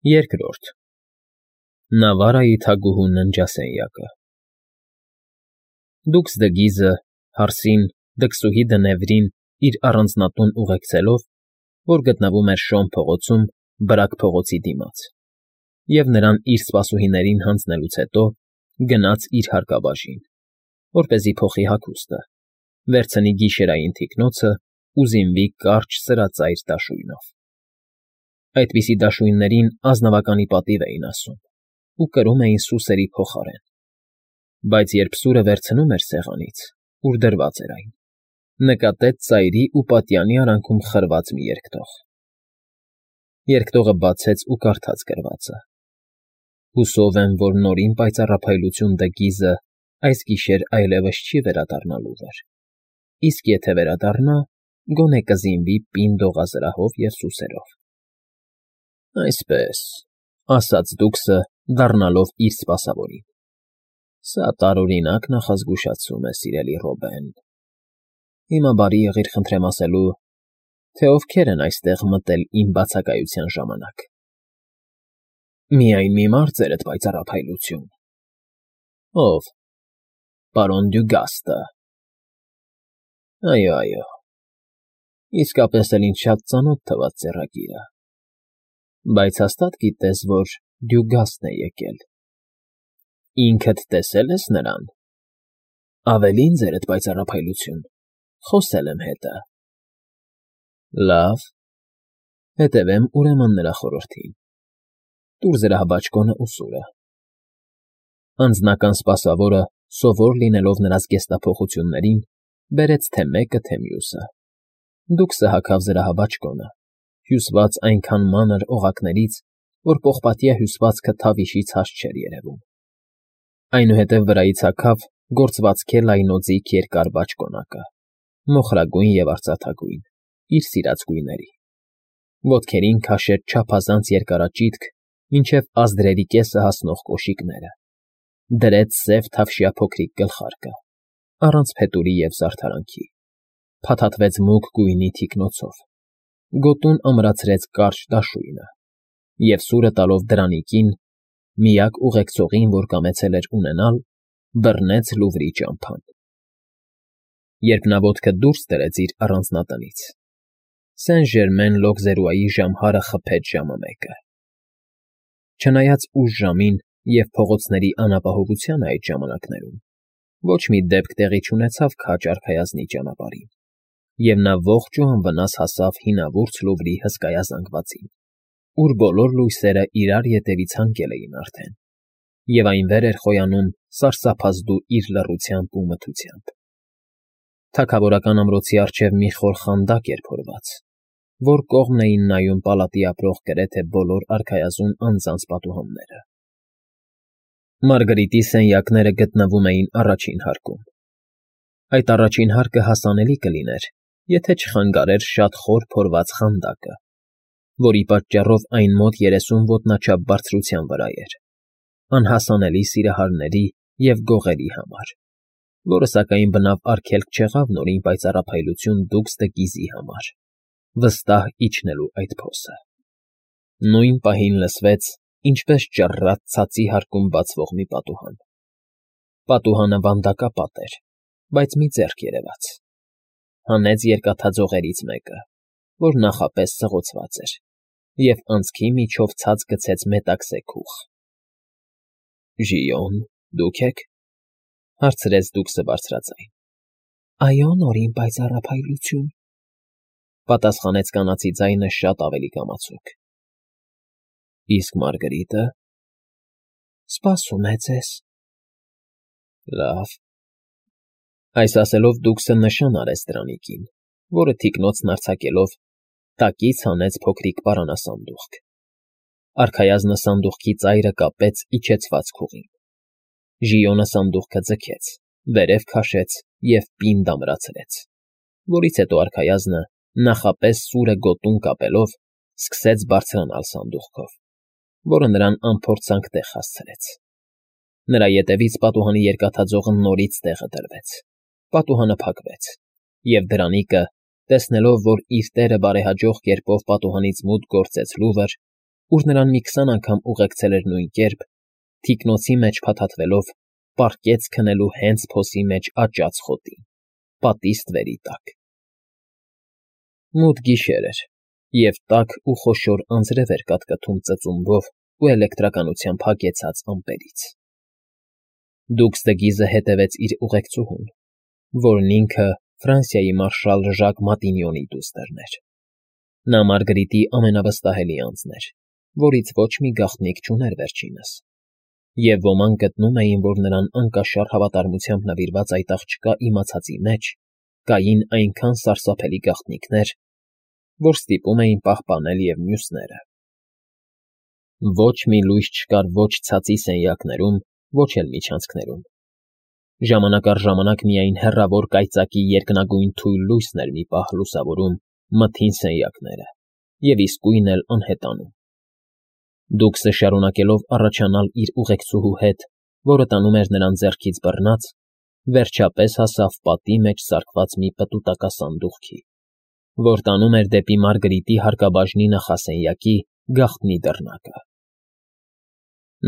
Երկրորդ Նավարայի թագուհու ննջասենյակը Դուքս Դգիզը հարսին դքսուհի Դնևրին իր առանձնատուն ուղեկցելով, որ գտնվում էր Շոն փողոցում Բրագ փողոցի դիմաց, և նրան իր սպասուհիներին հանձնելուց հետո գնաց իր հարկաբաժին, որպեսզի փոխի հագուստը, վերցնի գիշերային թիկնոցն ու զինվի կարճ սրածայր դաշույնով. այդպիսի դաշույններին ազնվականի պատիվ էին ասում ու կրում էին սուսերի փոխարեն, բայց երբ սուրը վերցնում էր սեղանից, ուր դրված էր այն, նկատեց ծայրի ու պատյանի արանքում խրված մի երկտող. Երկտողը բացեց ու կարդաց գրվածը. «Հուսով եմ, որ նորին պայծառափայլություն Դգիզը այս գիշեր այլևս չի վերադառնալու վեր, իսկ եթե վերադառնա, գոնե կզինվի պինդ օղազրահով և սուսերով»։ Այսպես, ասաց դուքսը, դառնալով իր սպասավորին, սա տարօրինակ նախազգուշացում է, սիրելի Ռոբեն. հիմա բարի եղիր խնդրեմ ասելու, թե ովքեր են այստեղ մտել իմ բացակայության ժամանակ։ Միայն մի մարդ, ձերդ պայծառափայլություն։ Ո՞վ։ Պարոն Դյուգաստը։ Այո, իսկապես էլ ինձ շատ ծանոթ թվաց ձեռագիրը, բայց հաստատ գիտես, որ Դյուգաստն է եկել։ Ինքդ տեսե՞լ ես նրան։ Ավելին, ձերդ պայծառափայլություն, խոսել եմ հետը։ Լավ, հետևեմ ուրեմն նրա խորհրդին։ Տուր զրահաբաճկոնը ու սուրը։ Անձնական սպասավորը, սովոր լինելով նրա զգեստափոխություններին, բերեց թե մեկը, թե մյուսը։ Դուքսը հագավ զրահաբաճկոնը, հյուսված այնքան մանր օղակներից, որ պողպատյա հյուսվածքը թավիշից հաստ չէր երևում։ Այնուհետև վրայից հագավ գործվածքի լայնոձիգ երկար բաճկոնակը, մոխրագույն և արծաթագույն, իր սիրած գույների։ Ոտքերին քաշեց չափազանց երկարաճիտ, մինչև ազդրերի կեսը հասնող կոշիկները, դրեց սև թավշյա փոքրիկ գլխարկը, առանց փետուրի և զարդարանքի, փաթաթվեց մուգ գույնի թիկնոցով, գոտուն ամրացրեց կարճ դաշույնը և սուրը տալով դրանիկին, միակ ուղեկցողին, որ կամեցել էր ունենալ, բռնեց Լուվրի ճամփան։ Երբ նա ոտքը դուրս դրեց իր առանձնատնից, Սեն֊Ժերմեն Լոկզերուայի ժամհարը խփեց ժամը 1-ը։ Չնայած ուշ ժամին և փողոցների անապահովությանը այդ ժամանակներում, ոչ մի դեպք տեղի չունեցավ քաջ արքայազնի ճանապարհին, և նա ողջ ու անվնաս հասավ հինավուրց Լուվրի հսկայազանգվածին, ուր բոլոր լույսերը իրար ետևից հանգել էին արդեն, և այն վեր էր խոյանում սարսափազդու իր լռությամբ ու մթությամբ։ Թագավորական ամրոցի առջև մի խոր խանդակ էր փորված, որ կողմն էին նայում պալատի ապրող գրեթե բոլոր արքայազուն անձանց պատուհանները։ Մարգրիտի սենյակները գտնվում էին առաջին հարկում։ Այդ առաջին հարկը հասանելի կլիներ, եթե չխանգարեր շատ խոր փորված խանդակը, որի պատճառով այն մոտ 30 ոտնաչափ բարձրության վրա էր, անհասանելի սիրահարների և գողերի համար, որը սակայն բնավ արգելք չեղավ նորին պայծառափայլություն Դուքս Դգիզի համար, վստահ իջնելու այդ փոսը։ Նույն պահին լսվեց, ինչպես ճռռաց ցածի հարկում բացվող մի պատուհան։ Պատուհանը վանդակապատ էր, բայց մի ձեռք երևաց։ Հանեց երկաթաձողերից մեկը, որ նախապես սղոցված էր, և անցքի միջով ցած գցեց մետաքսե քուղ։ Ժիոն, դուք եք,֊ հարցրեց դուքսը բարձրաձայն։ Այո, նորին պայծառափայլություն,֊ պատասխանեց կանացի ձայնը շատ ավելի կամացուկ։ Իսկ Մարգրիտը… Սպասում է ձեզ։ Լավ։ Այս ասելով դուքսը նշան արեց դրանիկին, որը թիկնոցն արձակելով, տակից հանեց փոքրիկ պարանասանդուղք։ Արքայազնը սանդուղքի ծայրը կապեց իջեցված քուղին։ Ժիոնը սանդուղքը ձգեց, վերև քաշեց և պինդ ամրացրեց, որից հետո արքայազնը, նախապես սուրը գոտուն կապելով, սկսեց բարձրանալ սանդուղքով, որը նրան անփորձանք տեղ հասցրեց։ Նրա ետևից պատուհանի երկաթաձողը նորից տեղը դրվեց, պատուհանը փակվեց, և դրանիկը, տեսնելով, որ իր տերը բարեհաջող կերպով պատուհանից մուտք գործեց Լուվր, ուր նրան մի 20 անգամ ուղեկցել էր նույն կերպ, թիկնոցի մեջ փաթաթվելով, պառկեց քնելու հենց փոսի մեջ աճած խոտին, պատի ստվերի տակ։ Մութ գիշեր էր, և տաք ու խոշոր անձրև էր կատկաթում ծծումբով ու էլեկտրականությամբ հագեցած ամպերից։ Դուքսդգիզը հետևեց իր ուղեկցուհուն, որն ինքը Ֆրանսիայի մարշալ Ժակ Մատինյոնի դուստրն էր։ Նա Մարգարիտի ամենավստահելի անձն էր, որից ոչ մի գաղտնիք չուներ վերջինս, և ոմանք գտնում էին, որ նրան անկաշար հավատարմությամբ նվիրված այդ աղջկա իմացածի մեջ կային այնքան սարսափելի գաղտնիքներ, որ ստիպում էին պահպանել և մյուսները։ Ոչ մի լույս չկար ոչ ցածի սենյակներում, ոչ էլ միջանցքներում։ Ժամանակ առ ժամանակ միայն հեռավոր կայծակի երկնագույն թույլ լույսն էր մի պահ լուսավորում մթին սենյակները և իսկույն էլ անհետանում։ Դուքսը շարունակելով առաջանալ իր ուղեկցուհու հետ, որը տանում էր նրան ձեռքից բռնած, վերջապես հասավ պատի մեջ սարկված մի պտուտակասանդուղքի, որ տանում էր դեպի Մարգարիտի հարկաբաժնի նախասենյակի գաղտնի դռնակը։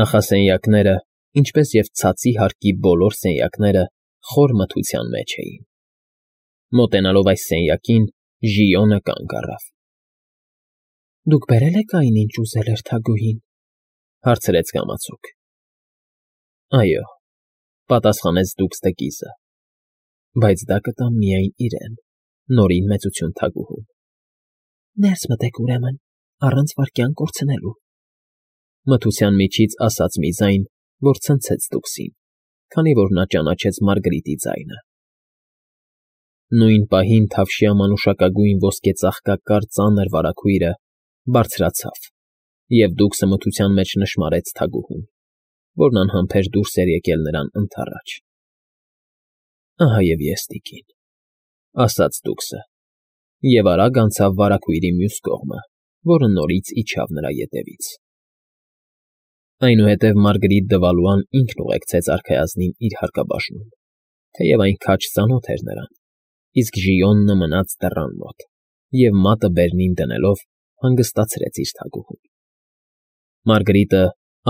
Նախասենյակները, ինչպես և ցածի հարկի բոլոր սենյակները, խոր մթության մեջ էին։ Մոտենալով այս սենյակին, Ժիոնը կանգ առավ։ ֊ Դուք բերել եք այն, ինչ ուզել էր թագուհին,֊ հարցրեց կամացուկ։ ֊ Այո,֊ պատասխանեց Դուքսդգիզը,֊ բայց դա կտամ միայն իրեն, Նորին Մեծություն թագուհուն։ ֊ Ներս մտեք, ուրեմն, առանց վայրկյան կորցնելու,֊ մթության միջից ասաց մի ձայն, որ ցնցեց Դուքսին, քանի որ նա ճանաչեց Մարգարիտի ձայնը։ Նույն պահին թավշյա մանուշակագույն ոսկեծաղկակար ծանր վարագույրը բարձրացավ, և Դուքսը մթության մեջ նշմարեց թագուհուն, որն անհամբեր դուրս էր եկել նրան ընդառաջ։ ֊ Ահա և ես, տիկին,֊ ասաց Դուքսը, և արագ անցավ վարագույրի մյուս կողմը, որը նորից իջավ նրա ետևից։ Այնուհետև Մարգարիտ Դվալուան ինքն ուղեկցեց արքայազնին իր հարկաբաժնում, թեև այն քաջ ծանոթ էր նրան, իսկ Ժիոնը մնաց դռան մոտ և մատը բերնին դնելով հանգստացրեց իր թագուհուն։ Մարգարիտը,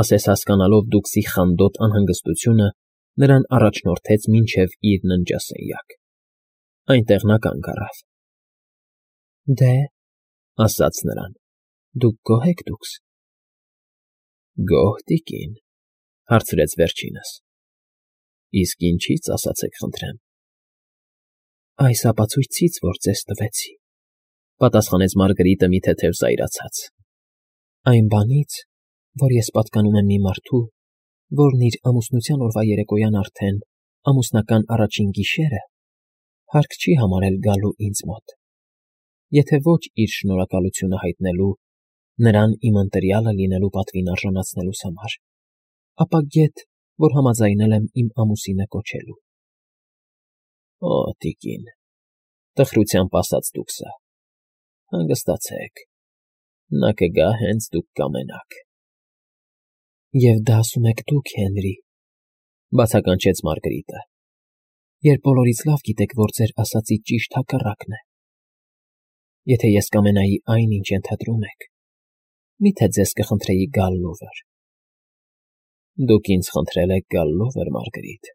ասես հասկանալով Դուքսի խանդոտ անհանգստությունը, նրան առաջնորդեց մինչև իր ննջասենյակ։ Այնտեղ նա կանգ առավ։ ֊ Դե,֊ ասաց նրան,֊ դուք գոհ եք, Դուքս։ ֊ Գոհ, տիկին,֊ հարցրեց վերջինս։ ֊ Իսկ ինչի՞ց, ասացեք խնդրեմ։ ֊ Այս ապացույցից, որ ձեզ տվեցի,֊ պատասխանեց Մարգարիտը մի թեթև զայրացած,֊ այն բանից, որ ես պատկանում եմ մի մարդու, որն իր ամուսնության օրվա երեկոյան արդեն, ամուսնական առաջին գիշերը, հարկ չի համարել գալու ինձ մոտ, եթե ոչ իր շնորհակալությունը հայտնելու, նրան իմ ընտրյալը լինելու պատվին արժանացնելուս համար, ապա գեթ, որ համաձայնել եմ իմ ամուսինը կոչելու։ ֊ Օ, տիկին,֊ տխրությամբ ասաց Դուքսը,֊ հանգստացեք, նա կգա հենց դուք կամենաք։ ֊ Եվ դա ասում եք դուք, Հենրի,֊ բացականչեց Մարգարիտը,֊ երբ բոլորից լավ գիտեք, որ ձեր ասածի ճիշտ հակառակն է։ Եթե ես կամենայի այն, ինչ ենթադրում եք, մի՞թե ձեզ կխնդրեի գալ լուվր։ ֊ Դուք ինձ խնդրել եք գալ լուվր, Մարգարիտ,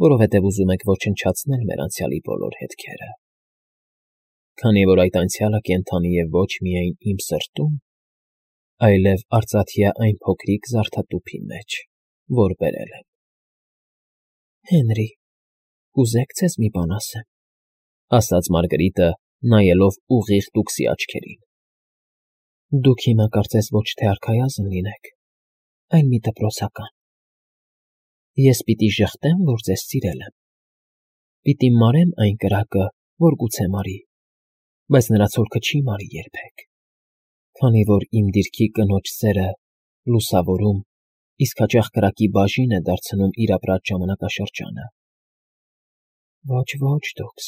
որովհետև ուզում եք ոչնչացնել մեր անցյալի բոլոր հետքերը, քանի որ այդ անցյալը կենդանի է ոչ միայն իմ սրտում, այլև արծաթյա այն փոքրիկ զարդատուփի մեջ, որ բերել եմ։ ֊ Հենրի, կուզե՞ք ձեզ մի բան ասեմ,֊ ասաց Մարգարիտը, նայելով ուղիղ Դուքսի աչքերին։ ֊ Դուք հիմա կարծես ոչ թե արքայազն լինեք, այլ մի դպրոցական։ Ես պիտի ժխտեմ, որ ձեզ սիրել եմ, պիտի մարեմ այն կրակը, որ գուցե մարի, բայց նրա ցոլքը չի մարի երբեք, քանի որ իմ դիրքի կնոջ սերը լուսավորում, իսկ հաճախ կրակի բաժին է դարձնում իր ապրած ժամանակաշրջանը։ Ոչ, ոչ, Դուքս,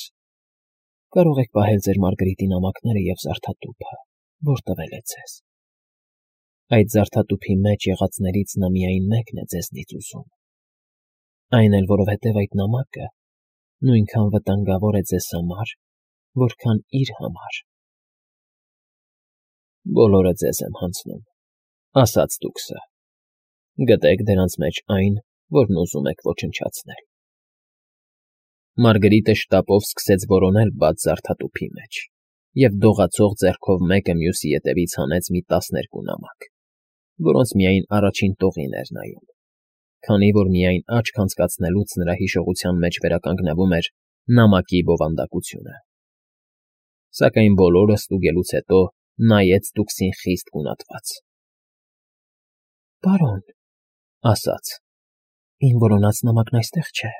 կարող եք պահել ձեր Մարգարիտի նամակները և զարդատուփը, որ տվել է ձեզ։ Այդ զարդատուփի մեջ եղածներից նա միայն մեկն է ձեզնից ուզում, այն էլ որովհետև այդ նամակը նույնքան վտանգավոր է ձեզ համար, որքան իր համար։ Բոլորը ձեզ եմ հանձնում, ասաց դուքսը։ Գտեք դրանց մեջ այն, որն ուզում եք ոչնչացնել։ Մարգրիտը շտապով սկսեց որոնել բաց զարդատուփի մեջ և դողացող ձեռքով մեկը մյուսի ետևից հանեց մի 12 նամակ, որոնց միայն առաջին տողին էր նայում, քանի որ միայն աչք անցկացնելուց նրա հիշողության մեջ վերականգնվում էր նամակի բովանդակությունը։ Սակայն բոլորը ստուգելուց հետո նայեց դուքսին խիստ գունատված։ «Պարոն,» ասաց,֊ իմ որոնած նամակն այստեղ չէ։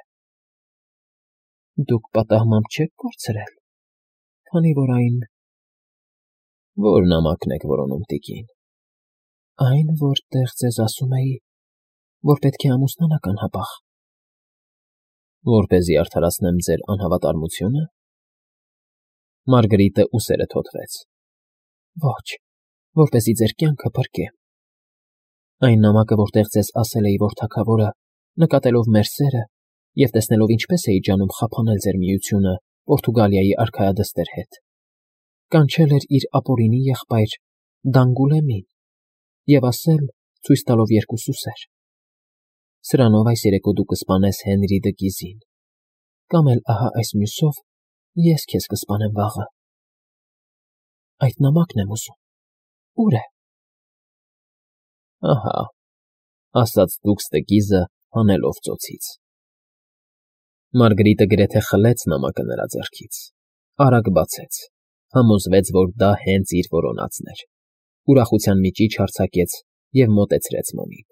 Դուք պատահմամբ չեք կորցրել, քանի որ այն… Ո՞ր նամակն եք որոնում, տիկին։ Այն, որտեղ ձեզ ասում էի, որ պետք է ամուսնանաք անհապաղ։ Որպեսզի արդարացնեմ ձեր անհավատարմությո՞ւնը։ Մարգրիտը ուսերը թոթվեց։ Ոչ, որպեսզի ձեր կյանքը փրկեմ։ Այն նամակը, որտեղ ձեզ ասել էի, որ թագավորը, նկատելով մեր սերը և տեսնելով ինչպես էի ջանում խափանել ձեր միությունը Պորտուգալիայի արքայադստեր հետ, կանչել էր իր ապօրինի եղբայր Դանգուլեմին և ասել, ցույց տալով երկու սուսեր. «Սրանով այս երեկո դու կսպանես Հենրի դը Գիզին, կամ էլ ահա այս մյուսով ես քեզ կսպանեմ վաղը։ Այդ նամակն եմ ուզում, ո՞ւր է»։ Ահա, ասաց դուքս դը Գիզը հանելով ծոցից։ Մարգրիտը գրեթե խլեց նամակը նրա ձեռքից, արագ բացեց, համոզվեց, որ դա հենց իր որոնածն էր, ուրախության մի ճիչ արձակեց և մոտեցրեց մոմին։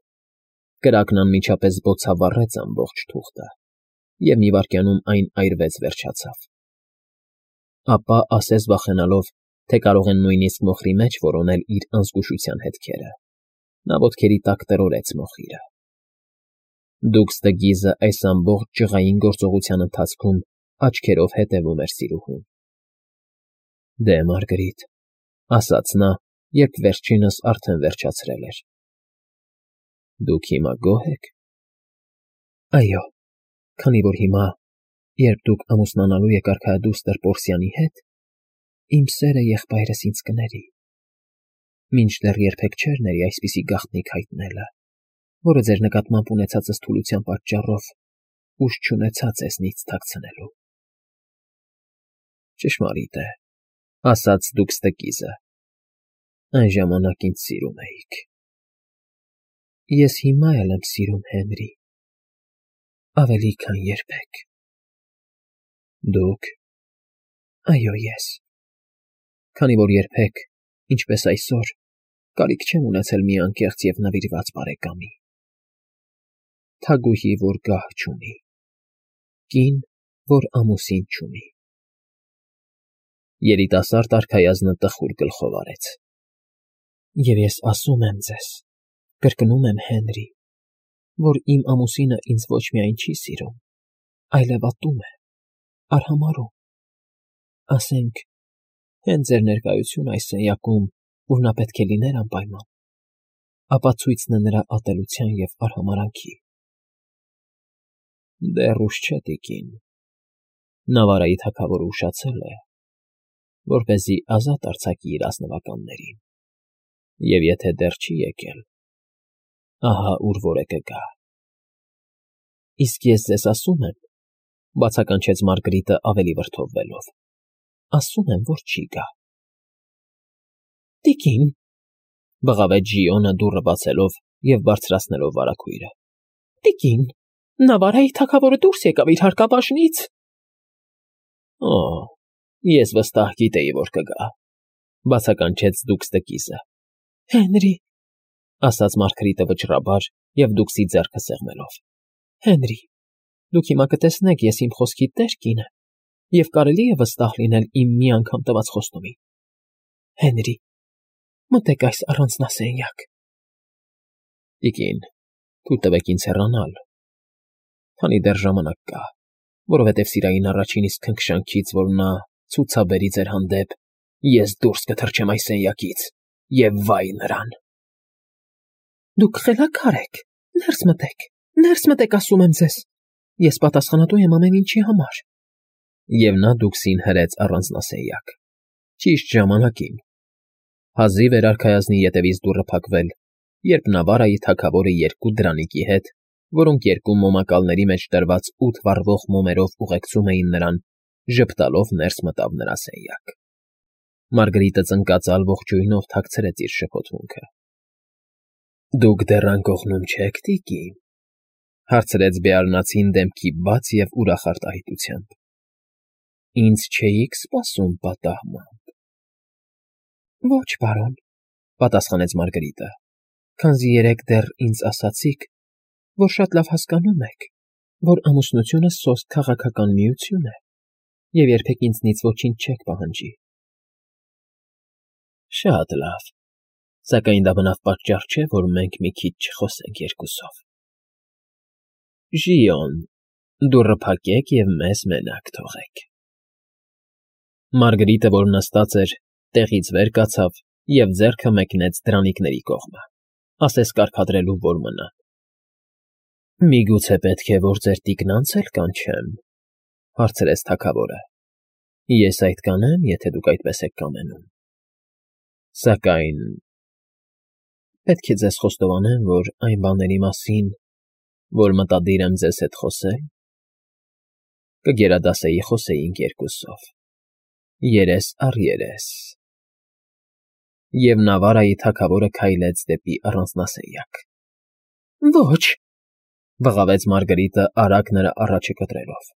Կրակն անմիջապես բոցավառեց ամբողջ թուղթը, և մի վայրկյանում այն այրվեց վերջացավ։ Ապա, ասես վախենալով, թե կարող են նույնիսկ մոխրի մեջ որոնել իր անզգուշության հետքերը, նա ոտքերի տակ տրորեց մոխիրը։ Դուքս դը Գիզը այս ամբողջ ջղային գործողության ընթացքում աչքերով հետևում էր սիրուհուն։ Դե, Մարգրիտ, ասաց նա, երբ վերջինս արդեն վերջացրել էր։ Դուք հիմա գոհ եք։ Այո, քանի որ հիմա, երբ դուք ամուսնանալու եք արքայադուստր Պորսիանի հետ, իմ սերը եղբայրս ինձ կների։ Մինչդեռ երբեք չէր ների այսպիսի գաղտնիք հայտնելը, որը ձեր նկատմամբ ունեցածս թուլության պատճառով ուժ չունեցա ձեզնից թաքցնելու։ Ճշմարիտ է, ասաց դուքս դը Գիզը։ Այն ժամանակ ինձ սիրում էիք։ Ես հիմա էլ եմ սիրում Հենրի, ավելի քան երբեք։ Դուք։ Այո, ես։ Քանի որ երբեք, ինչպես այսօր, կարիք չեմ ունեցել մի անկեղծ և նվիրված բարեկամի։ Թագուհի, որ գահ չունի, կին, որ ամուսին չունի։ Երիտասարդ արքայազնը տխուր գլխով արեց։ Եվ ես ասում եմ ձեզ, կրկնում եմ Հենրի, որ իմ ամուսինը ինձ ոչ միայն չի սիրում, այլև ատում է, արհամարհում։ Ասենք, հենց ձեր ներկայությունը այս սենյակում, ուր նա պետք է լիներ անպայման, ապացույցն է նրա ատելության և արհամարհանքի։ Դեռ ուշ չէ, տիկին։ Նավարայի թագավորը ուշացել է, որպեսզի ազատ արձակի իր ազնվականներին, և եթե դեռ չի եկել, ահա ուր որ է կգա։ Իսկ ես ձեզ ասում եմ, բացականչեց Մարգրիտը ավելի վրդովվելով, ասում եմ, որ չի գա։ Տիկին, բղավեց Ժիոնը դուռը բացելով և բարձրացնելով վարագույրը։ Տիկին, Նավարայի թագավորը դուրս եկավ իր հարկաբաժնից։ Օ, ես վստահ գիտեի, որ կգա, բացականչեց դուքս դը Գիզը։ Հենրի, ասաց Մարգրիտը վճռաբար և դուքսի ձեռքը սեղմելով։ Հենրի, դուք հիմա կտեսնեք, ես իմ խոսքի տեր կին եմ, և կարելի է վստահ լինել իմ մի անգամ տված խոստումին։ Հենրի, մտեք այս առանձնասենյակ։ Տիկին, թույլ տվեք ինձ հեռանալ, քանի դեռ ժամանակ կա, որովհետև սիրային առաջին իսկ քնքշանքից, որ նա ցուցաբերի ձեր հանդեպ, ես դուրս կթռչեմ այս սենյակից, և վայ նրան։ Դուք խելագար եք, ներս մտեք, ասում եմ ձեզ, ես պատասխանատու եմ ամեն ինչի համար։ Եվ նա դուքսին հրեց առանձնասենյակ, ճիշտ ժամանակին։ Հազիվ էր արքայազնի ետևից դուռը փակվել, երբ Նավարայի թագավորը երկու դրանիկի հետ, որոնք երկու մոմակալների մեջ դրված 8 վառվող մոմերով ուղեկցում էին նրան, ժպտալով ներս մտավ նրա սենյակ։ Մարգարիտը ծնկածալ ողջույնով թաքցրեց իր շփոթմունքը։ «Դուք դեռ անկողնում չեք, տիկին,֊ հարցրեց Բեարնացին դեմքի բաց և ուրախ արտահայտությամբ։ Ինձ չէիք սպասում պատահմամբ։ Ոչ, պարոն,֊ պատասխանեց Մարգարիտը, քանզի երեկ դեռ ինձ ասացիք, որ շատ լավ հասկանում եք, որ ամուսնությունը սոսկ քաղաքական միություն է և երբեք ինձնից ոչինչ չեք պահանջի։ Շատ լավ, սակայն դա բնավ պատճառ չէ, որ մենք մի քիչ չխոսենք երկուսով։ Ժիոն, դուռը փակեք և մեզ մենակ թողեք։ Մարգարիտը, որ նստած էր, տեղից վեր կացավ և ձեռքը մեկնեց դրանիկների կողմը, ասես կարգադրելու, որ մնան։ Միգուցե պետք է, որ ձեր տիկն անցել կանչեմ,֊ հարցրեց թագավորը։ Ես այդ կանեմ, եթե դուք այդպես եք կամենում։ Սակայն պետք է ձեզ խոստովանեմ, որ այն բաների մասին, որ մտադիր եմ ձեզ հետ խոսել, կգերադասեի խոսեինք երկուսով, երես առ երես։ Եվ Նավարայի թագավորը քայլեց դեպի առանձնասենյակ։ Ոչ,֊ բղավեց Մարգարիտը արագ նրա առաջը կտրելով։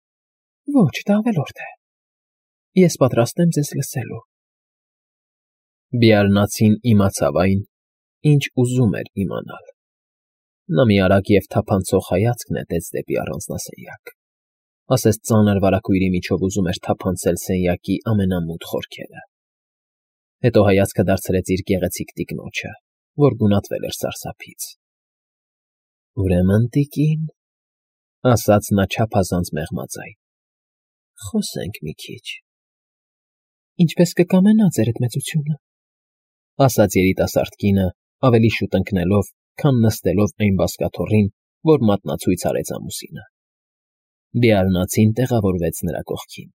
Ոչ, դա ավելորդ է։ Ես պատրաստ եմ ձեզ լսելու։ Բեարնացին իմացավ այն, ինչ ուզում էր իմանալ։ Նա մի արագ և թափանցող հայացք նետեց դեպի առանձնասենյակ, ասես ծանր վարագույրի միջով ուզում էր թափանցել սենյակի ամենամութ խորքերը։ Հետո հայացքը դարձրեց իր գեղեցիկ տիկնոջը, որ գունատվել էր սարսափից։ Ուրեմն, տիկին,֊ ասաց նա չափազանց մեղմաձայն,֊ խոսենք մի քիչ։ Ինչպես կկամենա ձերդ մեծությունը,֊ ասաց երիտասարդ կինը, ավելի շուտ ընկնելով, քան նստելով այն բազկաթոռին, որ մատնացույց արեց ամուսինը։ Բեարնացին տեղավորվեց նրա կողքին։